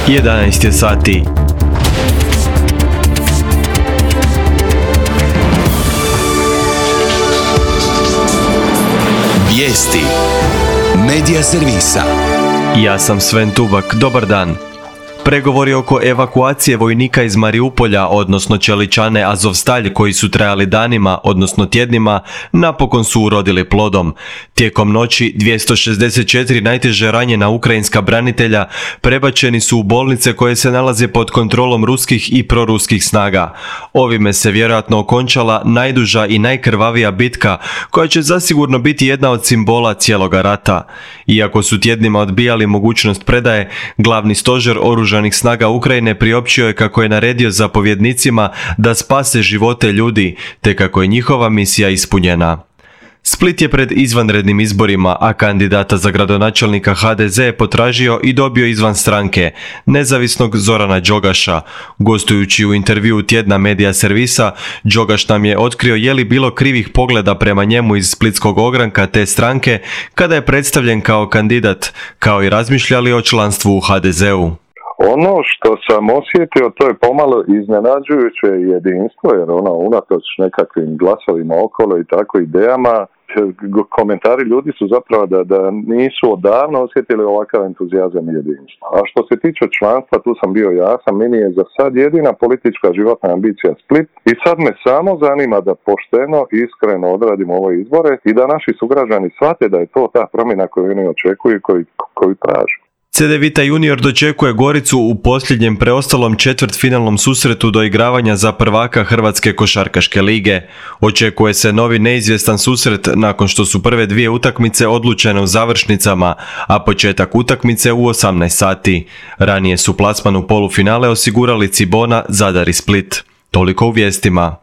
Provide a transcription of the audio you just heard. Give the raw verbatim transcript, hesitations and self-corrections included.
jedanaest je sati. Vijesti Medija servisa. Ja sam Sven Tubak, dobar dan. Pregovori oko evakuacije vojnika iz Mariupolja, odnosno čeličane Azovstalj, koji su trajali danima, odnosno tjednima, napokon su urodili plodom. Tijekom noći dvjesto šezdeset četiri najteže ranjena ukrajinska branitelja prebačeni su u bolnice koje se nalaze pod kontrolom ruskih i proruskih snaga. Ovime se vjerojatno okončala najduža i najkrvavija bitka, koja će zasigurno biti jedna od simbola cijeloga rata. Iako su tjednima odbijali mogućnost predaje, glavni stožer oružanih snaga Ukrajine priopćio je kako je naredio zapovjednicima da spase živote ljudi, te kako je njihova misija ispunjena. Split je pred izvanrednim izborima, a kandidata za gradonačelnika ha de ze je potražio i dobio izvan stranke, nezavisnog Zorana Đogaša. Gostujući u intervjuu tjedna Medija servisa, Đogaš nam je otkrio je li bilo krivih pogleda prema njemu iz splitskog ogranka te stranke kada je predstavljen kao kandidat, kao i razmišljali o članstvu u ha de zeu. Ono što sam osjetio, to je pomalo iznenađujuće jedinstvo, jer ono, unatoč nekakvim glasovima okolo i tako idejama, komentari ljudi su zapravo da, da nisu odavno osjetili ovakav entuzijazam i jedinstvo. A što se tiče članstva, tu sam bio jasan, meni je za sad jedina politička životna ambicija Split i sad me samo zanima da pošteno i iskreno odradimo ove izbore i da naši sugrađani shvate da je to ta promjena koju oni očekuju i koju, koju traže. Cedevita junior dočekuje Goricu u posljednjem preostalom četvrtfinalnom susretu doigravanja za prvaka Hrvatske košarkaške lige. Očekuje se novi neizvjestan susret nakon što su prve dvije utakmice odlučene u završnicama, a početak utakmice u osamnaest sati. Ranije su plasman u polufinale osigurali Cibona, Zadar i Split. Toliko u vijestima.